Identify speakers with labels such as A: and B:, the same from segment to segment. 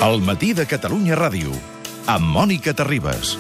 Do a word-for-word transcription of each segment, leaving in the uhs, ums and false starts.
A: El matí de Catalunya Ràdio, amb Mònica Terribas.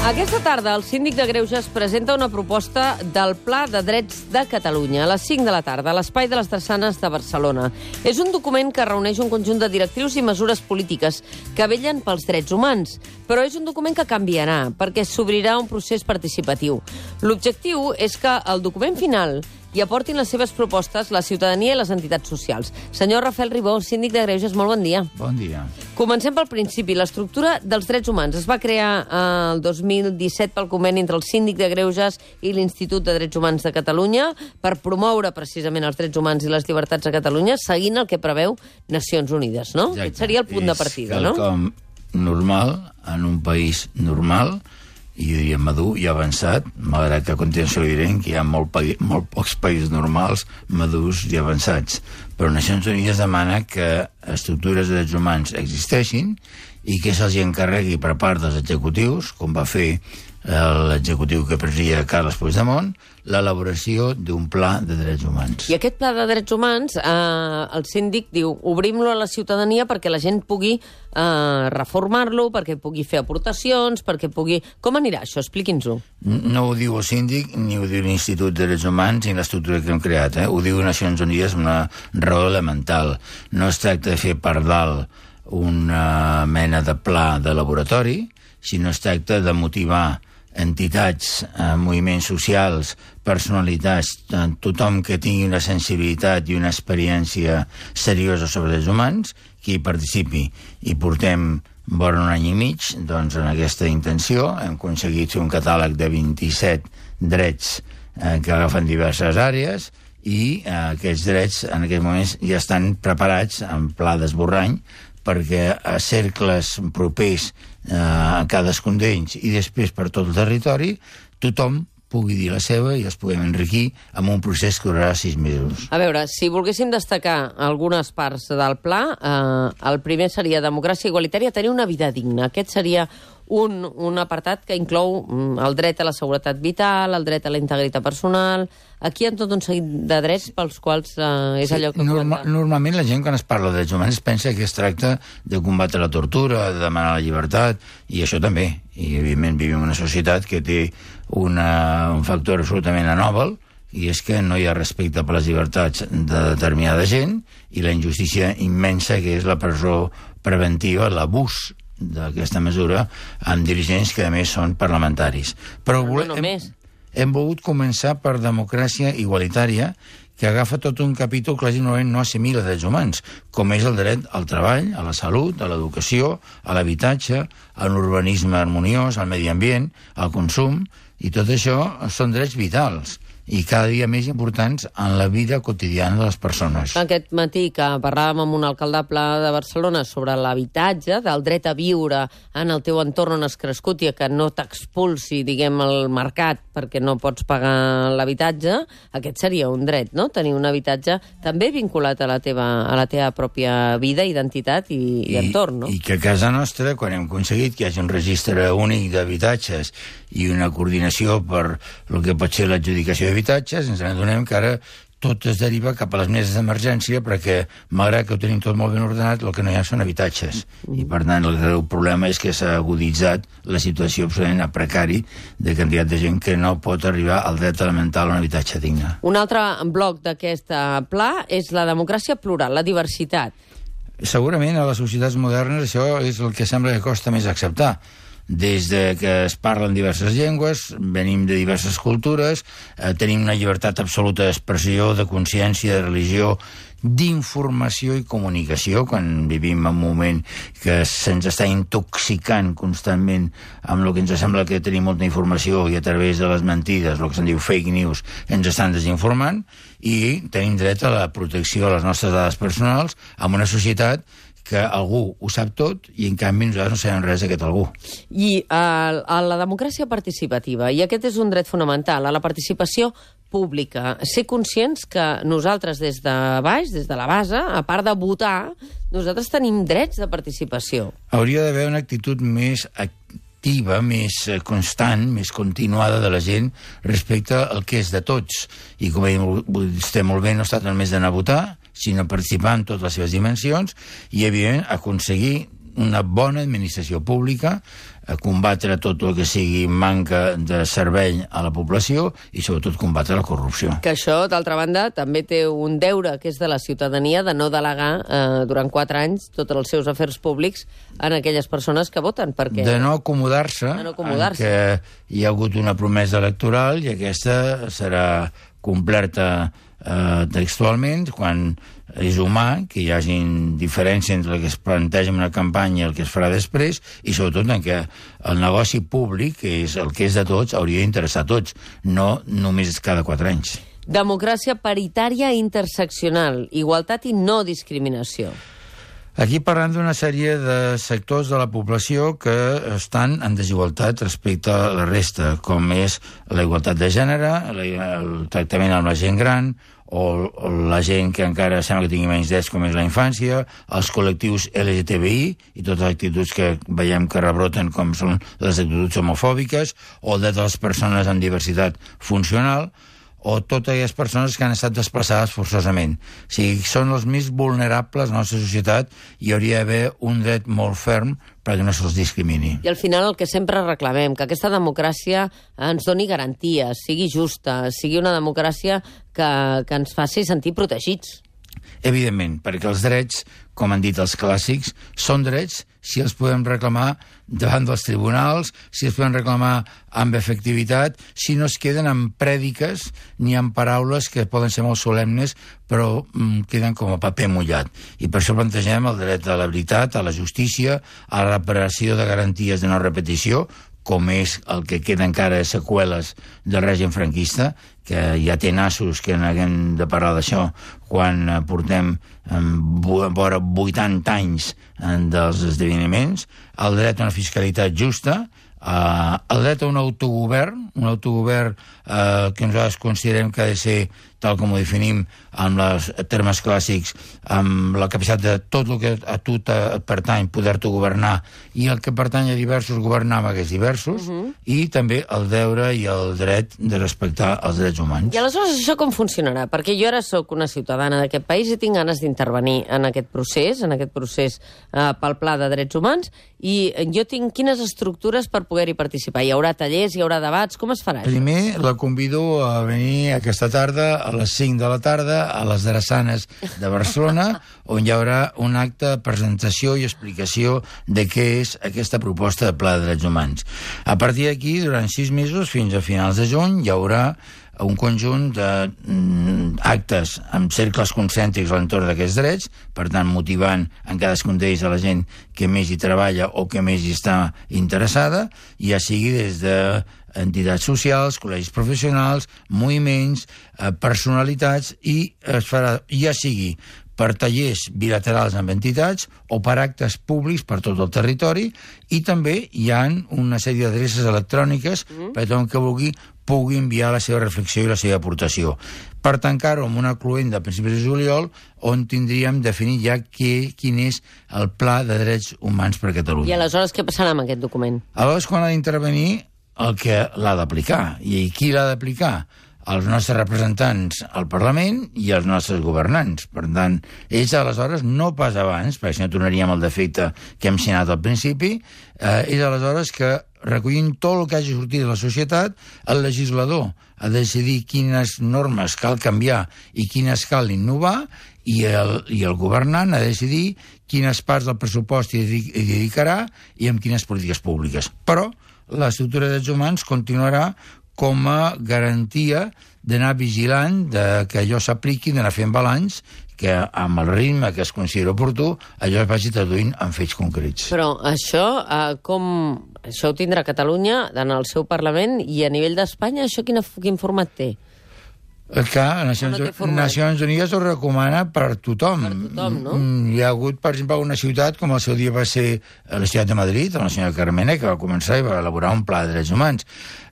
B: Aquesta tarda el síndic de Greuges presenta una proposta del Pla de Drets de Catalunya a les cinc de la tarda a l'Espai de les Drassanes de Barcelona. És un document que reuneix un conjunt de directrius i mesures polítiques que vellen pels drets humans, però és un document que canviarà perquè s'obrirà un procés participatiu. L'objectiu és que el document final i aportin les seves propostes la ciutadania i les entitats socials. Senyor Rafael Ribó, síndic de Greuges, molt bon dia.
C: Bon dia.
B: Comencem pel principi. L'estructura dels drets humans es va crear el dos mil disset pel conveni entre el síndic de Greuges i l'Institut de Drets Humans de Catalunya per promoure precisament els drets humans i les llibertats a Catalunya, seguint el que preveu Nacions Unides, no?
C: Exacte.
B: Aquest seria el punt de partida, no?
C: És quelcom normal en un país normal, i jo diria madur i avançat, malgrat que a continuació li direm que hi ha molt, molt pocs països normals, madurs i avançats. Però Nacions Unides demana que estructures de drets humans existeixin i que se'ls encarregui per part dels executius, com va fer l'executiu que presidia Carles Puigdemont, l'elaboració d'un pla de drets humans.
B: I aquest pla de drets humans, eh, el síndic diu, obrim-lo a la ciutadania perquè la gent pugui eh, reformar-lo, perquè pugui fer aportacions, perquè pugui... Com anirà això? Expliqui'ns-ho.
C: No ho diu el síndic, ni ho diu l'Institut de Drets Humans, ni l'estructura que hem creat. Eh? Ho diu Nacions Unides amb una raó elemental. No es tracta de fer per dalt una mena de pla de laboratori, sinó es tracta de motivar entitats, eh, moviments socials, personalitats, eh, tothom que tingui una sensibilitat i una experiència seriosa sobre drets humans, que hi participi. I portem vora un any i mig, doncs, en aquesta intenció. Hem aconseguit fer un catàleg de vint-i-set drets eh, que agafen diverses àrees i eh, aquests drets en aquests moments ja estan preparats en pla d'esborrany perquè a cercles propers eh, a cadascun d'ells i després per tot el territori tothom pugui dir la seva i els puguem enriquir amb un procés que durarà sis mesos.
B: A veure, si volguéssim destacar algunes parts del pla, eh, el primer seria democràcia igualitària, tenir una vida digna. Aquest seria un, un apartat que inclou el dret a la seguretat vital, el dret a la integritat personal. Aquí hi ha tot un seguit de drets pels quals eh, és
C: sí,
B: allò que...
C: Norma, normalment la gent quan es parla de drets humans pensa que es tracta de combatre la tortura, de demanar la llibertat, i això també. I evidentment vivim en una societat que té una, un factor absolutament anòmal, i és que no hi ha respecte per les llibertats de determinada gent i la injustícia immensa que és la presó preventiva, l'abús d'aquesta mesura amb dirigents que a més són parlamentaris. Però
B: no,
C: volem,
B: no
C: hem, hem volgut començar per democràcia igualitària, que agafa tot un capítol que normalment no assimila drets humans, com és el dret al treball, a la salut, a l'educació, a l'habitatge, a l'urbanisme harmoniós, al medi ambient, al consum, i tot això són drets vitals i cada dia més importants en la vida quotidiana de les persones.
B: Aquest matí que parlàvem amb un alcaldable de Barcelona sobre l'habitatge, del dret a viure en el teu entorn on has crescut i que no t'expulsi, diguem, el mercat perquè no pots pagar l'habitatge, aquest seria un dret, no? Tenir un habitatge també vinculat a la teva, a la teva pròpia vida, identitat i, i, i entorn, no?
C: I que a casa nostra, quan hem aconseguit que hi hagi un registre únic d'habitatges i una coordinació per el que pot ser l'adjudicació d'habitatges, ens adonem que ara tot es deriva cap a les meses d'emergència perquè, malgrat que ho tenim tot molt ben ordenat, el que no hi ha són habitatges. I, per tant, el greu problema és que s'ha aguditzat la situació absolutament precari de quantitat de gent que no pot arribar al dret elemental a un habitatge digne.
B: Un altre bloc d'aquest pla és la democràcia plural, la diversitat.
C: Segurament a les societats modernes això és el que sembla que costa més acceptar. Des de que es parlen diverses llengües, venim de diverses cultures, eh, tenim una llibertat absoluta d'expressió, de consciència, de religió, d'informació i comunicació, quan vivim en un moment que se'ns està intoxicant constantment amb el que ens sembla que tenim molta informació i a través de les mentides, el que se'n diu fake news, ens estan desinformant, i tenim dret a la protecció de les nostres dades personals en una societat que algú ho sap tot i en canvi nosaltres no sabem res d'aquest algú.
B: I a, a la democràcia participativa, i aquest és un dret fonamental, a la participació pública, ser conscients que nosaltres des de baix, des de la base, a part de votar, nosaltres tenim drets de participació.
C: Hauria d'haver una actitud més activa, més constant, més continuada de la gent respecte al que és de tots. I com ha dit vostè molt bé, no es tracta només d'anar a votar, sinó participar en totes les seves dimensions i, evidentment, aconseguir una bona administració pública, a combatre tot el que sigui manca de servei a la població i, sobretot, combatre la corrupció.
B: Que això, d'altra banda, també té un deure, que és de la ciutadania, de no delegar eh, durant quatre anys tots els seus afers públics en aquelles persones que voten, perquè...
C: De no acomodar-se,
B: no acomodar-se.
C: que hi ha hagut una promesa electoral i aquesta serà complerta eh, textualment quan és humà que hi hagin diferència entre el que es planteja en una campanya i el que es farà després, i sobretot en què el negoci públic, que és el que és de tots, hauria d'interessar a tots, no només cada quatre anys.
B: Democràcia paritària i interseccional, igualtat i no discriminació.
C: Aquí parlem d'una sèrie de sectors de la població que estan en desigualtat respecte a la resta, com és la igualtat de gènere, el tractament amb la gent gran, o la gent que encara sembla que tingui menys drets, com és la infància, els col·lectius L G T B I i totes les actituds que veiem que rebroten, com són les actituds homofòbiques, o el dret de les persones amb diversitat funcional, o totes aquelles persones que han estat desplaçades forçosament. O sigui, són els més vulnerables de la nostra societat i hi hauria d'haver un dret molt ferm perquè no se'ls discrimini.
B: I al final el que sempre reclamem, que aquesta democràcia ens doni garanties, sigui justa, sigui una democràcia que, que ens faci sentir protegits.
C: Evidentment, perquè els drets, com han dit els clàssics, són drets si els podem reclamar davant dels tribunals, si els podem reclamar amb efectivitat, si no es queden en prèdiques ni en paraules que poden ser molt solemnes, però mm, queden com a paper mullat. I per això plantegem el dret a la veritat, a la justícia, a la reparació de garanties de no repetició, com és el que queda encara de seqüeles del règim franquista, que ja té nassos que n'haguem de parlar d'això quan portem vora vuitanta anys dels esdeveniments, el dret a una fiscalitat justa, Uh, el dret a un autogovern, un autogovern uh, que nosaltres considerem que ha de ser, tal com ho definim en els termes clàssics, amb la capacitat de tot el que a tu et pertany poder-te governar i el que pertany a diversos governar amb aquests diversos, uh -huh. i també el deure i el dret de respectar els drets humans.
B: I aleshores això com funcionarà? Perquè jo ara sóc una ciutadana d'aquest país i tinc ganes d'intervenir en aquest procés, en aquest procés uh, pel Pla de Drets Humans, i jo tinc quines estructures per poder-hi participar? Hi haurà tallers, hi haurà debats? Com es farà?
C: Primer la convido a venir aquesta tarda a les cinc de la tarda a les Drassanes de Barcelona, on hi haurà un acte de presentació i explicació de què és aquesta proposta de Pla de Drets Humans. A partir d'aquí, durant sis mesos, fins a finals de juny, hi haurà un conjunt d'actes amb cercles concèntrics a l'entorn d'aquests drets, per tant, motivant en cadascun d'ells a la gent que més hi treballa o que més hi està interessada, ja sigui des de entitats socials, col·legis professionals, moviments, eh, personalitats, i es farà, ja sigui per tallers bilaterals amb entitats o per actes públics per tot el territori, i també hi ha una sèrie d'adreces electròniques mm. per tothom que vulgui pugui enviar la seva reflexió i la seva aportació. Per tancar-ho amb una cluenda a principis de juliol, on tindríem definit ja què, quin és el Pla de Drets Humans per a Catalunya.
B: I aleshores què passarà amb aquest document?
C: Aleshores, quan ha d'intervenir el que l'ha d'aplicar. I qui l'ha d'aplicar? Els nostres representants al Parlament i els nostres governants. Per tant, ells aleshores, no pas abans, perquè si no tornaríem al defecte que hem signat al principi, eh, és aleshores que, recollint tot el que hagi sortit de la societat, el legislador ha de decidir quines normes cal canviar i quines cal innovar, i el, i el governant ha de decidir quines parts del pressupost hi dedicarà i amb quines polítiques públiques. Però l'estructura de drets humans continuarà com a garantia d'anar vigilant de que allò s'apliqui, d'anar fent balanç, que amb el ritme que es considera oportú, allò es vagi traduint en fets concrets.
B: Però això, eh, com... això ho tindrà Catalunya en el seu Parlament, i a nivell d'Espanya això quin, quin format té?
C: Clar, Nacions, no Nacions Unides ho recomana per tothom.
B: Per tothom, no?
C: Hi ha hagut, per exemple, una ciutat, com el seu dia va ser la ciutat de Madrid, amb la senyora Carmena, que va començar i va elaborar un pla de drets humans.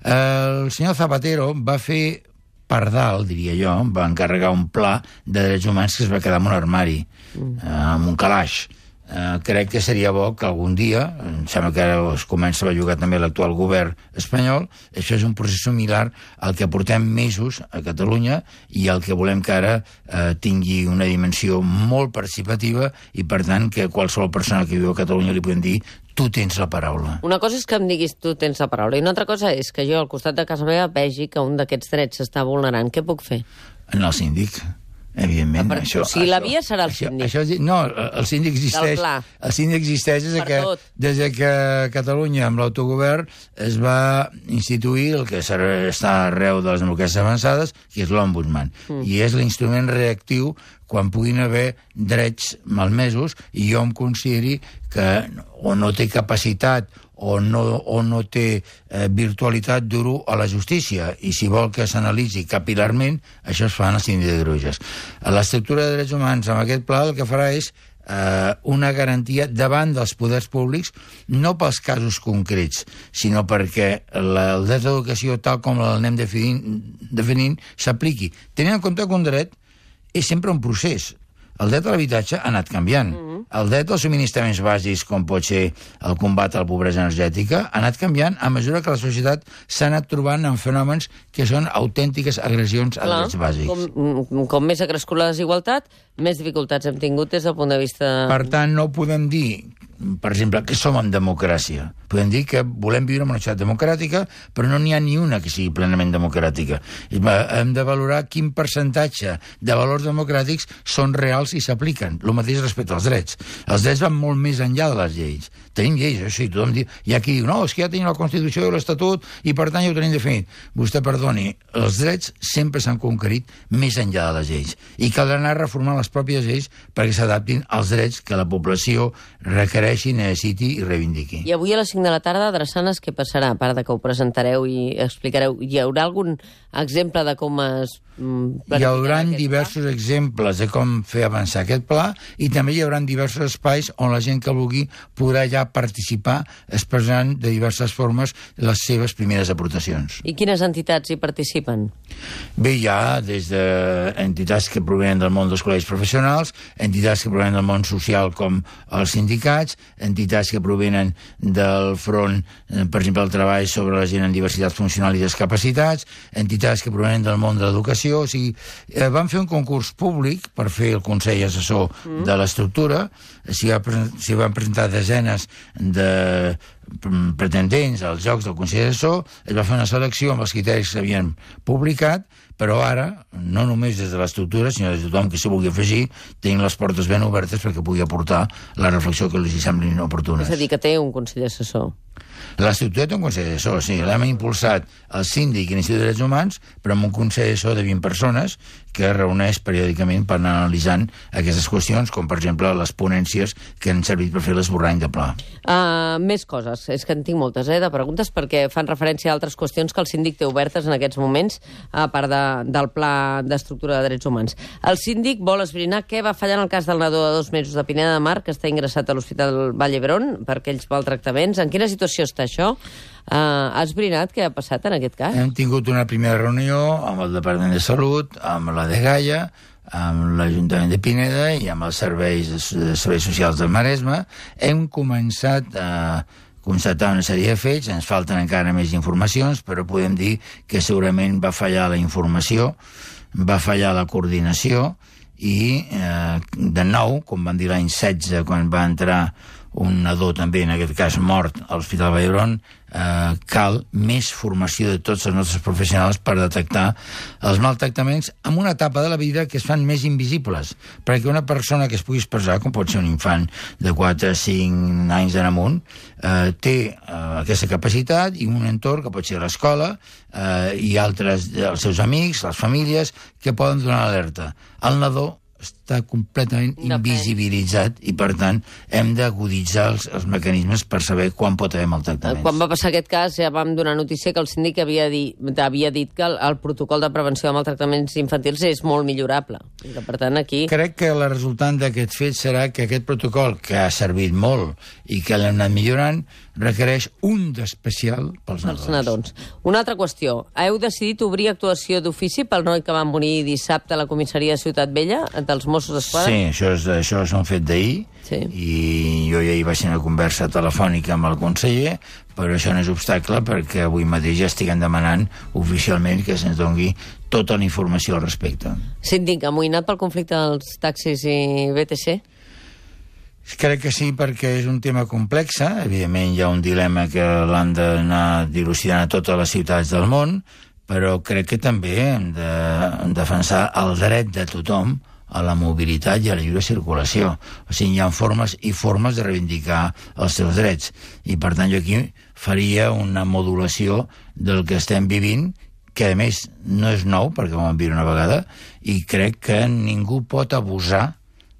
C: El senyor Zapatero va fer per dalt, diria jo, va encarregar un pla de drets humans que es va quedar en un armari, mm. amb un calaix. eh, crec que seria bo que algun dia, em sembla que ara es comença a bellugar també l'actual govern espanyol, això és un procés similar al que portem mesos a Catalunya i al que volem que ara eh, tingui una dimensió molt participativa i, per tant, que qualsevol persona que viu a Catalunya li podem dir tu tens la paraula.
B: Una cosa és que em diguis tu tens la paraula i una altra cosa és que jo al costat de casa meva vegi que un d'aquests drets s'està vulnerant. Què puc fer?
C: En el síndic, evidentment.
B: Per,
C: això,
B: o sigui, la
C: això,
B: via serà el
C: això,
B: síndic.
C: Això, no, el síndic existeix, el síndic existeix des de, que, des de que Catalunya, amb l'autogovern, es va instituir el que està arreu de les democràcies avançades, que és l'ombudsman. Mm. I és l'instrument reactiu quan puguin haver drets malmesos i jo em consideri que o no té capacitat o no, o no té eh, virtualitat dur a la justícia, i si vol que s'analitzi capilarment, això es fa en el síndic de greuges. L'estructura de drets humans amb aquest pla el que farà és eh, una garantia davant dels poders públics, no pels casos concrets, sinó perquè la, el dret d'educació, tal com l'anem definint, definint s'apliqui. Tenint en compte que un dret és sempre un procés. El dret a l'habitatge ha anat canviant. Mm-hmm. El dret als subministraments bàsics, com pot ser el combat a la pobresa energètica, ha anat canviant a mesura que la societat s'ha anat trobant en fenòmens que són autèntiques agressions a
B: Clar,
C: drets bàsics.
B: Com, com més ha crescut la desigualtat, més dificultats hem tingut des del punt de vista...
C: Per tant, no podem dir, per exemple, que som en democràcia. Podem dir que volem viure en una societat democràtica, però no n'hi ha ni una que sigui plenament democràtica. Hem de valorar quin percentatge de valors democràtics són reals i s'apliquen. El mateix respecte als drets. Els drets van molt més enllà de les lleis. Tenim lleis, això sí, tothom diu... Hi ha qui diu, no, és que ja tenim la Constitució i l'Estatut i per tant ja ho tenim definit. Vostè perdoni, els drets sempre s'han conquerit més enllà de les lleis. I caldrà anar reformant les pròpies lleis perquè s'adaptin als drets que la població requereixi, necessiti i reivindiqui.
B: I avui a les cinc de la tarda, Drassanes, què passarà? A part de que ho presentareu i explicareu, hi haurà algun exemple de com es...
C: Hi haurà diversos pla? exemples de com fer avançar aquest pla i també hi haurà diversos espais on la gent que vulgui podrà ja participar expressant de diverses formes les seves primeres aportacions.
B: I quines entitats hi participen?
C: Bé, hi ha des d'entitats que provenen del món dels col·legis professionals, entitats que provenen del món social com els sindicats, entitats que provenen del front, per exemple, el treball sobre la gent amb diversitat funcional i discapacitats, entitats que provenen del món de l'educació. O sigui, eh, van fer un concurs públic per fer el Consell Assessor mm. de l'estructura, s'hi va, s'hi van presentar desenes de pretendents als jocs del Consell Assessor, es va fer una selecció amb els criteris que s'havien publicat, però ara, no només des de l'estructura, sinó des de tothom que s'hi vulgui afegir, tenim les portes ben obertes perquè pugui aportar la reflexió que els hi semblin oportunes.
B: És a dir, que té un Consell Assessor.
C: L'estructura té un Consell Assessor, sí. L'hem impulsat el síndic i l'Institut de Drets Humans, però amb un Consell Assessor de vint persones que es reuneix periòdicament per anar analitzant aquestes qüestions, com per exemple les ponències que han servit per fer l'esborrany de pla.
B: Uh, més coses, és que en tinc moltes, eh, de preguntes, perquè fan referència a altres qüestions que el síndic té obertes en aquests moments, a part de, del pla d'estructura de drets humans. El síndic vol esbrinar què va fallar en el cas del nadó de dos mesos de Pineda de Mar, que està ingressat a l'Hospital Vall d'Hebron per aquells maltractaments. En quina situació està això? Uh, has esbrinat què ha passat en aquest cas?
C: Hem tingut una primera reunió amb el Departament de Salut, amb la Dgaia, amb l'Ajuntament de Pineda i amb els serveis, serveis socials del Maresme. Hem començat a constatar una sèrie de fets, ens falten encara més informacions, però podem dir que segurament va fallar la informació, va fallar la coordinació i, eh, de nou, com van dir l'any setze, quan va entrar un nadó també, en aquest cas mort, a l'Hospital Vall d'Hebron, eh, cal més formació de tots els nostres professionals per detectar els maltractaments en una etapa de la vida que es fan més invisibles, perquè una persona que es pugui expressar, com pot ser un infant de quatre a cinc anys en amunt, eh, té eh, aquesta capacitat i un entorn que pot ser l'escola eh, i altres, els seus amics, les famílies, que poden donar alerta. El nadó està completament invisibilitzat i, per tant, hem d'aguditzar els, els mecanismes per saber quan pot haver maltractaments.
B: Quan va passar aquest cas ja vam donar notícia que el síndic havia, di, havia dit que el, el protocol de prevenció de maltractaments infantils és molt millorable. I que, per tant, aquí...
C: Crec que la resultant d'aquest fet serà que aquest protocol, que ha servit molt i que l'hem anat millorant, requereix un d'especial pels nadons.
B: Els nadons. Una altra qüestió. Heu decidit obrir actuació d'ofici pel noi que van morir dissabte a la comissaria de Ciutat Vella, dels Mossos d'Esquadra?
C: Sí, això és, això és un fet d'ahir, sí. I jo ja hi vaig tenir una conversa telefònica amb el conseller, però això no és obstacle perquè avui mateix ja estiguem demanant oficialment que se'ns doni tota la informació al respecte.
B: Síndic, amoïnat pel conflicte dels taxis i B T C?
C: Crec que sí, perquè és un tema complex. Evidentment hi ha un dilema que l'han d'anar dilucidant a totes les ciutats del món, però crec que també hem de defensar el dret de tothom a la mobilitat i a la lliure circulació. O sigui, hi ha formes i formes de reivindicar els seus drets. I, per tant, jo aquí faria una modulació del que estem vivint, que, a més, no és nou, perquè ho vam viure una vegada, i crec que ningú pot abusar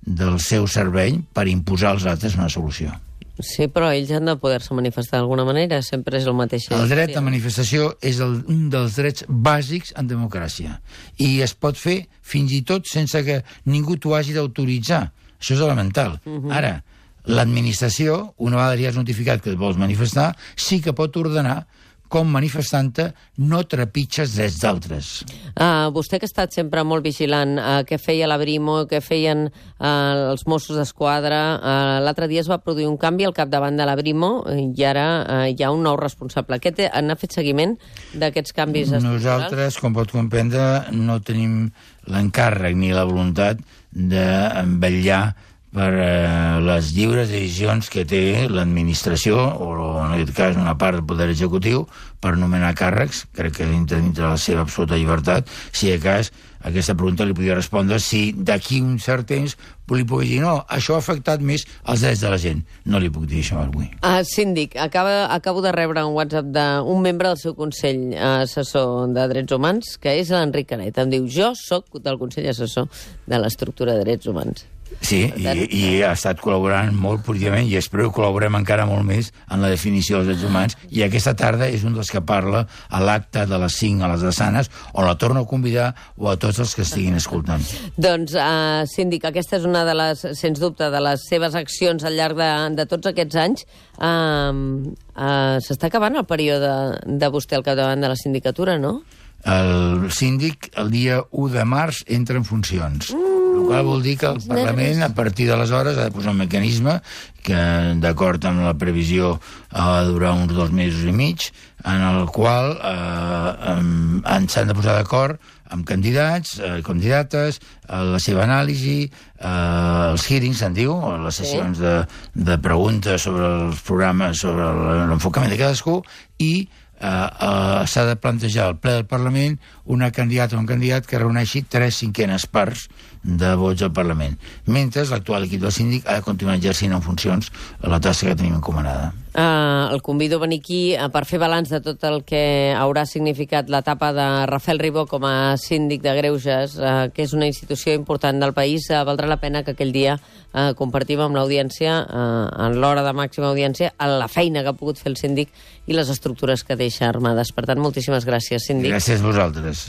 C: del seu servei per imposar als altres una solució.
B: Sí, però ells han de poder-se manifestar d'alguna manera, sempre és el mateix.
C: El dret a manifestació és el, un dels drets bàsics en democràcia, i es pot fer fins i tot sense que ningú t'ho hagi d'autoritzar. Això és elemental. Uh-huh. Ara, l'administració, una vegada ja has notificat que et vols manifestar, sí que pot ordenar com manifestant-te no trepitges drets d'altres.
B: Uh, vostè que ha estat sempre molt vigilant, uh, què feia la Brimo, què feien uh, els Mossos d'Esquadra, uh, l'altre dia es va produir un canvi al capdavant de la Brimo i ara uh, hi ha un nou responsable. Què té, n'ha fet seguiment d'aquests canvis estructurals?
C: Nosaltres, com pot comprendre, no tenim l'encàrrec ni la voluntat de vetllar per eh, les lliures decisions que té l'administració, o en aquest cas una part del poder executiu, per nomenar càrrecs. Crec que dintre, dintre la seva absoluta llibertat. Si de cas, aquesta pregunta li podria respondre si d'aquí un cert temps li puc dir no, això ha afectat més els drets de la gent. No li puc dir això avui.
B: Uh, síndic, acaba, acabo de rebre un WhatsApp d'un membre del seu Consell Assessor de Drets Humans, que és l'Enric Canet. Em diu, jo sóc del Consell Assessor de l'Estructura de Drets Humans.
C: Sí, i, i ha estat col·laborant molt positivament i espero que col·laborem encara molt més en la definició dels drets humans, i aquesta tarda és un dels que parla a l'acte de les cinc a les Drassanes, on la torno a convidar, o a tots els que estiguin escoltant.
B: Doncs, uh, síndic, aquesta és una de les, sens dubte, de les seves accions al llarg de, de tots aquests anys. Uh, uh, S'està acabant el període de vostè al capdavant de la sindicatura, no?
C: El síndic, el dia u de març, entra en funcions. Mm. El qual vol dir que el Parlament, a partir d'aleshores, ha de posar un mecanisme que, d'acord amb la previsió, ha de durar uns dos mesos i mig, en el qual eh, s'han de posar d'acord amb candidats, eh, candidates, eh, la seva anàlisi, eh, els hearings, se'n diu, les sessions sí. de, de preguntes sobre els programes, sobre l'enfocament de cadascú, i Uh, uh, s'ha de plantejar al ple del Parlament una candidata o un candidat que reuneixi tres cinquenes parts de vots al Parlament, mentre l'actual equip del síndic ha de continuar exercint en funcions la tasca que tenim encomanada.
B: Uh, el convido a venir aquí uh, per fer balanç de tot el que haurà significat l'etapa de Rafael Ribó com a síndic de Greuges, uh, que és una institució important del país. Uh, valdrà la pena que aquell dia uh, compartim amb l'audiència, uh, en l'hora de màxima audiència, la feina que ha pogut fer el síndic i les estructures que deixa armades. Per tant, moltíssimes gràcies, síndic.
C: Gràcies a vosaltres.